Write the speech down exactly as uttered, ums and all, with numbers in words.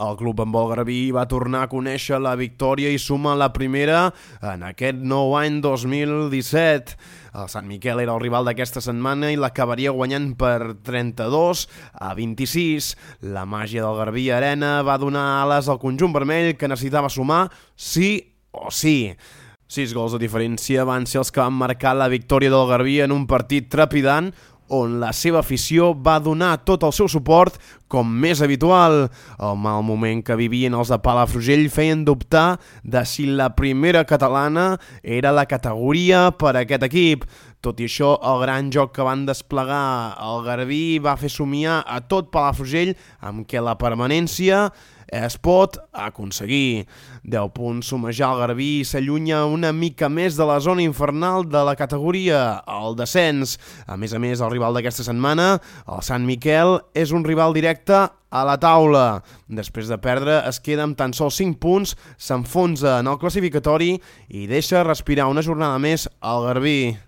El club handbol garbí va tornar a conèixer la victòria i suma la primera en aquest nou any dos mil disset. El Sant Miquel era el rival d'aquesta setmana i l'acabaria guanyant per trenta-dos a vint-i-sis. La màgia del Garbí Arena va donar ales al conjunt vermell, que necessitava sumar sí o sí. Sis gols de diferència van ser els que van marcar la victòria del Garbí en un partit trepidant, on la seva afició va donar tot el seu suport com més habitual. El mal moment que vivien els de Palafrugell feien dubtar de si la primera catalana era la categoria per a aquest equip. Tot i això, el gran joc que van desplegar el Garbí va fer somiar a tot Palafrugell amb què la permanència es pot aconseguir. deu punts sumejar el Garbí i s'allunya una mica més de la zona infernal de la categoria, el descens. A més a més, el rival d'aquesta setmana, el Sant Miquel, és un rival directe a la taula. Després de perdre, es queda amb tan sols cinc punts, s'enfonsa en el classificatori i deixa respirar una jornada més al Garbí.